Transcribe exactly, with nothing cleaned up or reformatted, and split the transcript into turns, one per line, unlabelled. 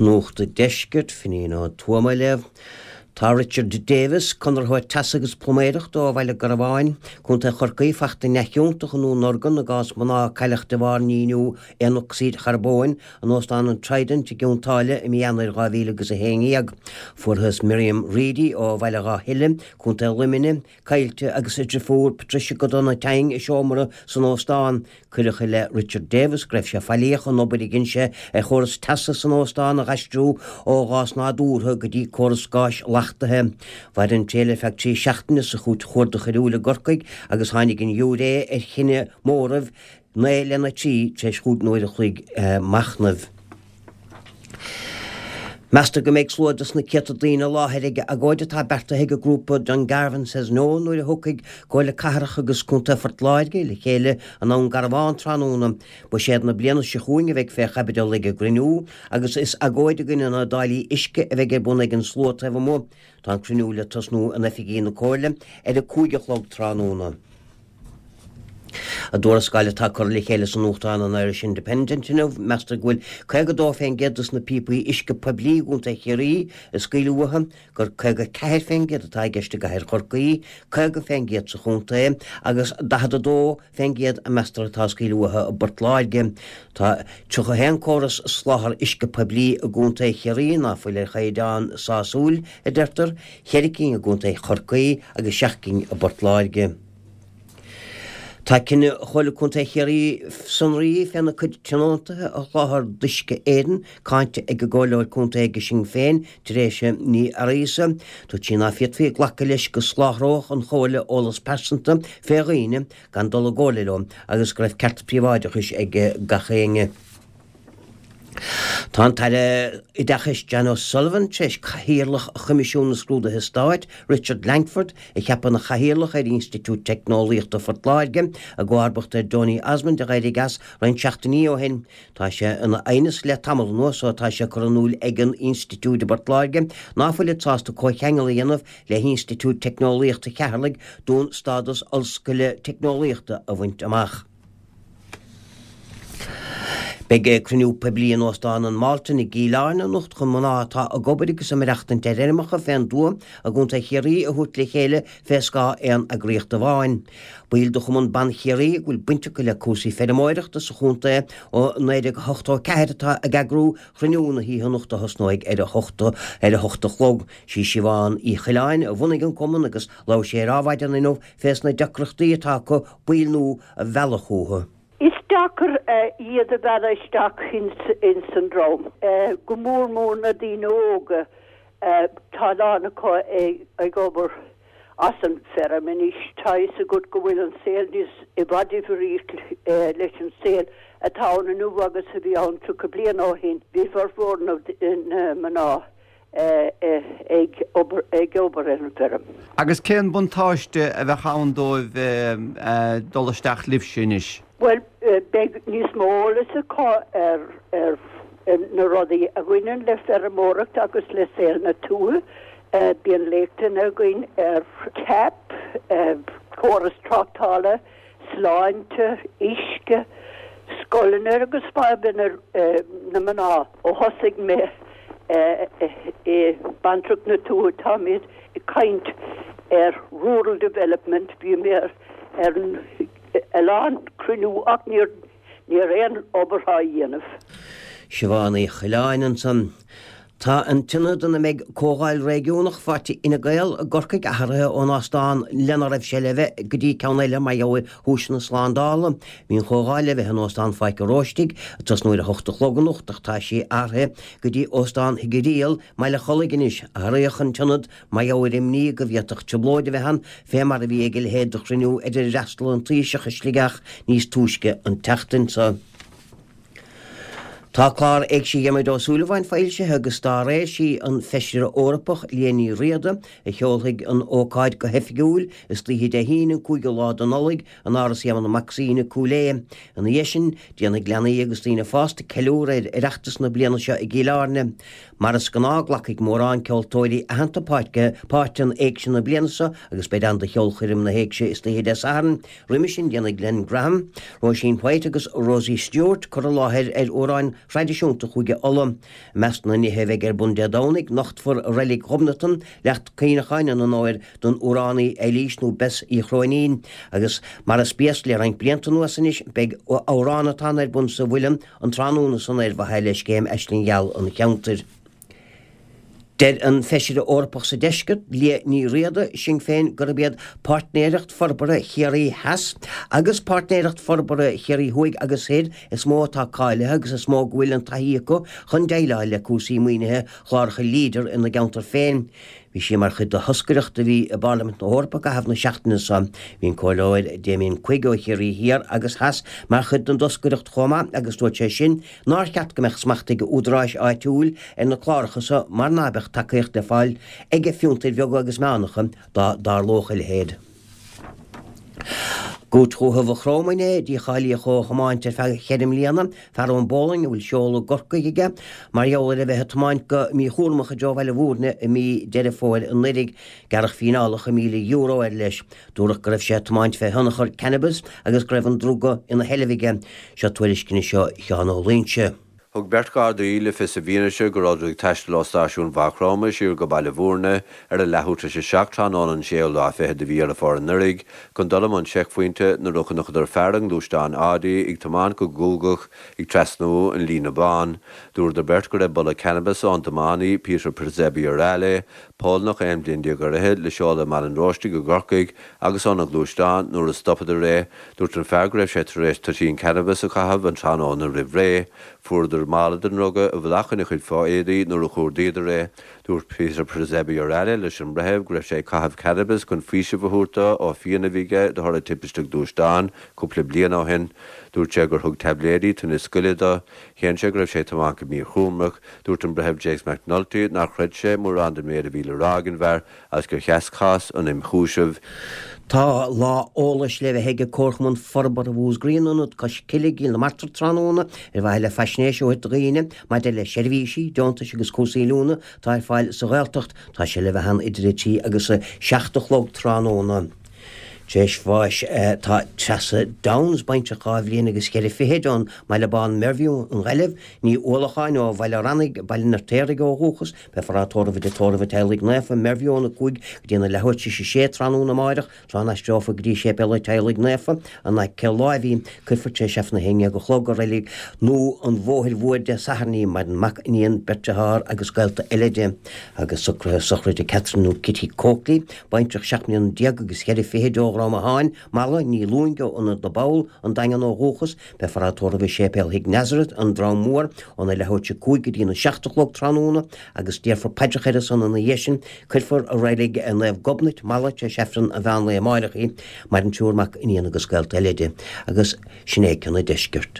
Nuacht an Deiscirt, Finín Ó Tuama ag léamh. Tá Richard Davis, conraitheoir teasa agus pluiméireachta ó Bhaile Garbháin, Contae Chorcaí, fachta neamhchiontach i ndúnorgain i gcás mná a cailleadh de bharr nimhniú aonocsaíd charbóin in óstán an Trident i gCionn tSáile i mí Eanáir dhá mhíle agus a haon déag. Fuarthas Miriam Reidy ó Bhaile Dhá Thuile, Contae Luimnigh, caillte agus a deirfiúr Patricia go dona tinn i seomra san óstán. Cuireadh i leith Richard Davis go raibh sé faillíoch an obair a dhein sé ar chóras teasa san óstán a dh'aistriú ó ghás nádúrtha go dtí córas gáis leachtaithe. Mhair an triail ar feadh trí seachtaine sa chúirt chuarda choiriúil i gCorcaigh agus tháinig an giúiré ar chinneadh móraimh naoi lena trí tar éis chúig n-uair a chloig machnaimh. Meastar go mbeidh slua dos na céadta daoine i láthair ag agóid atá beartaithe ag an grúpa Dungarvan Says No nuair a thiocfaidh Comhairle Cathrach agus Contae Phort Láirge le chéile i nDún Garbhán tráthnóna. Buiséad na bliana seo chugainn a bheidh fé chaibidil ag an gcruinniú agus is agóid i gcoinne na dtáillí uisce a bheidh ar bun ag an slua taobh amuigh. Tá an cruinniú le tosnú in oifigí na Comhairle ar a cúig a chlog tráthnóna. I dtuarascáil atá curtha le chéile sa nuachtán an Irish Independent inniu, meastar go bhfuil caoga dó fén gcéad dos na píopaí uisce poiblí i gContae Chiarraí ag scaoileadh uathu, gur caoga ceathair fén gcéad atá i gceist i gcathair Chorcaí, caoga fén gcéad sa chontae agus daichead a dó fén gcéad a meastar atá ag scaoileadh uathu i bPort Láirge. Tá tríocha haon córas soláthar uisce poiblí i gContae Chiarraí ná fuil ar chaighdeán sásúil, a deirtear, ceithre cinn i gContae Chorcaí agus seacht gcinn i bPort Láirge. Tá cinneadh Chomhairle Contae Chiarraí sonraí féna cuid tionóntaithe a sholáthar d'Uisce Éireann cáinte ag an gComhairleoir Contae ag Sinn Féin, Teresa Ní Fhearghusa. Dúirt sí ná féadfaí glacadh leis go soláthródh an Chomhairle eolas pearsanta fé dhaoine gan dul i gcomhairle leo agus go raibh ceart príobháideachais ag gach éinne. Tá an tAire Oideachais Jan O'Sullivan tar éis Cathaoirleach Choimisiún na Scrúduithe Stáit, Richard Langford, a cheapadh ina chathaoirleach ar Institiúid Teicneolaíochta Phort Láirge, i gcomharbacht ar Donie Osmond a d'éirigh as roinnt seachtainí ó shin. Tá sé ina aighneas le tamall anuas ó tá sé curtha in iúl ag an Institiúid i bPort Láirge ná fuilid sásta comhcheangal a dhéanamh le hInstitiúid Teicneolaíochta Cheatharlaigh d'fhonn stádas ollscoile teicneolaíochta a bhaint amach. Beidh cruinniú poiblí in Óstán an Mhalton i gCill Airne anocht chun mná atá ag obair agus ag maireachtaint ar fheirmeacha fén dtuath i gContae Chiarraí a thabhairt le chéile fé scáth aon eagraíocht amháin. Baill de Chumann Ban Chiarraí go bhfuil baint acu le cúrsaí feirmeoireachta sa chontae ó naoi déag ochtó ceathair atá ag eagrú chruinniú na hoíche anocht a thosnóidh ar a hocht ar a hocht a chlog. Sí Siobhán Uí Choileáin a bhunaigh an cumann agus labhair sí ar Adhmhaidin inniu fés na deacrachtaí atá acu baill nua a mhealladh chucu.
Is deacair iad a mhealladh isteach ins an dream. Go mór mór na daoine óga tá a lán acu ag obair as an feirm anois. Tá a fhios agat go bhfuil an saol níos i bhfad difríocht leis an saol atá ann inniu agus a bhí ann tríocha bliain ó shin. Bhí formhór na mná ag obair ag obair ar an bhfeirm.
Agus cén buntáiste a bheadh ann dóibh dul isteach libhse anois?
Well, beidh níos mó eolas acu ar ar na rudaí a bhaineann le feirmeoireacht agus le saol na tuaithe. Bíonn léachtanna againn ar CAP, córas tráchtála, sláinte, uisce, scoileanna agus fadhbanna na mná. Ó thosaigh mé i Bantracht na Tuaithe táimid ag caint ar rural development, bhí mé ar a lán cruinniú ach níor níor aon obair á dhéanamh.
Siobhán Uí Choileáin ansan. Tá an t-ionad ina mbeidh comhdháil réigiúnach pháirtí Fhine Gael i gCorcaigh athraithe ón óstán lena raibh sé le bheith go dtí ceann eile mar gheall ar chúiseanna slándála. Bhí an chomhdháil le bheith in óstán Pháirc an Róistigh ag tosnú ar a hocht a chlog anocht ach tá sí athraithe go dtí óstán Thigh an Ríl i mBaile Chollaigh anois. Athraíodh an t-ionad mar gheall ar imní go bhféadfadh trioblóid a bheith ann fé mar a bhí ag a leithéid de chruinniú ar ar fhreastail an Taoiseach i Sligeach níos túisce an tseachtain seo. Tá clár Éigse Dhiarmuid Ó Súilleabháin foilsithe agus dá réir sí an Feisire Eorpach Liadh Ní Riada a sheolfaidh an ócáid go hoifigiúil istoíche Dé hAoine an cúigiú lá de Nollaig in Áras Éamonn Mac Suibhne, Cúil Aodha. Ina dhiaidh sin, déanfaidh leanaí agus daoine fásta ceiliúradh ar Oireachtas na bliana seo i gCill Airne. Mar is gnáth glacfaidh mórán ceoltóirí aitheanta páirt in Éigse na bliana seo agus beidh ann do cheolchoirm na hÉigse istoíche Dé Sathairn. Roimhe sin déanfaidh Glen Graham, Róisín White agus Rosie Stewart cur i láthair ar amhráin thraidisiúnta Chúige Uladh. I measc na nithe a bheidh ar bun Dé Domhnaigh, nochtfar Reilig Ghobnatan, leacht cuimhneacháin in onóir don amhránaí Eilís nó Bess Uí Chróinín, agus mar is béas le roinnt blianta anuas anois, beidh amhránatán ar bun sa Mhuileann an tráthnóna san ar mhaithe le scéim Aisling Gheal an cheantair. Deir an Feisire Eorpach sa Deisceart, Liadh Ní Riada, Sinn Féin, gurb iad Páirtnéireacht Forbartha Chiarraí Theas agus Páirtnéireacht Forbartha Chiarraí Thuaidh agus Thoir is mó atá cáilithe agus is mó go bhfuil an taithí acu chun déileáil le cúrsaí maoinithe chláracha Leader ina gceantar féin. Bhí sí mar chuid de thoscaireacht a bhí i bParlaimint na hEorpa i gcaitheamh na seachtaine seo. Bhí an Comhairleoir Damien Quigg ó Chiarraí Thiar agus Theas mar chuid den dtoscaireacht chomh maith agus dúirt sé sin nár cheart go mbeadh smacht ag údaráis áitiúil ar na cláracha seo mar ná beadh tacaíocht le fáil ag fiontair bheaga agus meánacha dá dtarlódh a leithéid. I gCúirt Dhúiche Mhaigh Chromtha inné, dícháilíodh ó thiomáint ar feadh cheithre mbliana fear ón bPolainn a bhfuil seoladh i gCorcaigh aige mar gheall ar a bheith ag tiomáint go míchúramach i dtreo Bhaile Bhúirne i mí Deireadh Fómhair anuraidh. Gearradh fíneálacha míle euro air leis. Dúradh go raibh sé ag tiomáint fé thionchar cannabis agus go raibh an druga ina sheilbh aige. Seo tuairisc anois ó Sheán Ó Loingsigh.
Thug beirt Ghardaí le fios i bhfianaise go rabhadar ag taisteal ó stáisiún Mhaigh Chromtha siar go Baile Bhúirne ar a leathuair tar éis a seacht tráthnóna an séú lá fichead de mhí Dheireadh Fómhair anuraidh chun dul i mbun seicphointe nuair a chonaiceadar fear i ngluaisteán Audi ag tiomáint go guagach ag trasnú an líne bán. Dúradar beirt go raibh boladh cannabis ón tiománaí Peter Przebierale, Polannach aon bhliain déag ar fhichid le seoladh i mBaile an Róistigh i gCorcaigh agus óna ghluaisteán nuair a stopadar é, dúirt an fear go raibh sé tar éis toitín cannabis a chaitheamh an tráthnóna roimh ré. Fuaireadar mála den ndruga i bhfolach ina chuid fo-éadaí nuair a chuardaíodar é. Dúirt Peter Przebierale leis an mbreitheamh go raibh sé ag caitheamh cannabis chun faoiseamh a thabhairt dó ó phian a bhí aige de thoradh timpiste gluaisteáin cúpla bliain ó shin. Dúirt sé gur thug taibléidí tinneas goile dó. Shéan sé go raibh sé ag tiomáint go míchúramach. Dúirt an Breitheamh James McNulty nár chreid sé mórán den méid a bhí le rá ag an bhfear agus gur sheas cás an imchúisimh.
Tá lá eolais le bheith ag Comharchumann Forbartha Mhúscraí in Ionad Cois Cille i gCill na Martra tráthnóna ar mhaithe le faisnéis a thabhairt do dhaoine maidir le seirbhísí, deontais agus cúrsaí oiliúna atá ar fáil sa Ghaeltacht. Tá sé le bheith ann idir a trí agus a seacht a chlog tráthnóna. Tar éis bháis tá Treasa Downes, baintreach dhá bhliain agus ceithre fichid ón mBaile Bán Mervue i nGaillimh, Ní Uallacháin ó Bhaile Rannaigh, Baile an Fheirtéaraigh ó dhúchas, beifear á tórramh i dTigh Tórraimh an Teaghlaigh Naofa, Mervue óna cúig go dtí na leathuair tar éis a sé tráthnóna amáireach, tráth a n-aistreofar go dtí Séipéal an Teaghlaigh Naofa, in aice láimhe í. Cuirfear tar éis Aifreann a haon déag a chlog i Reilig Nua an Bhóthair Mhóir Dé Sathairn í. Maireann mac, iníon, beirt dearthár agus gaolta eile di. Agus socruithe sochraide Catherine nó Kitty Coakley, baintreach seacht mbliana déag agus ceithre fichid ó Dhrom Atháin, Mala, Ní Lúing ó Ionad na bPoll, An Daingean ó dhúchas, beifear á tórramh i Séipéal Thigh Nazareth, An Drom Mór, óna leathuair tar éis a cúig go dtína seacht a chlog tráthnóna agus déarfar paidreacha ar a son ina dhiaidh sin. Cuirfear i Reilig Naomh Gobnait, Mala, tar éis Aifreann an mheán lae amáireach í. Maireann triúr mac, iníon agus gaolta eile di. Agus sin é cionn an deiscirt.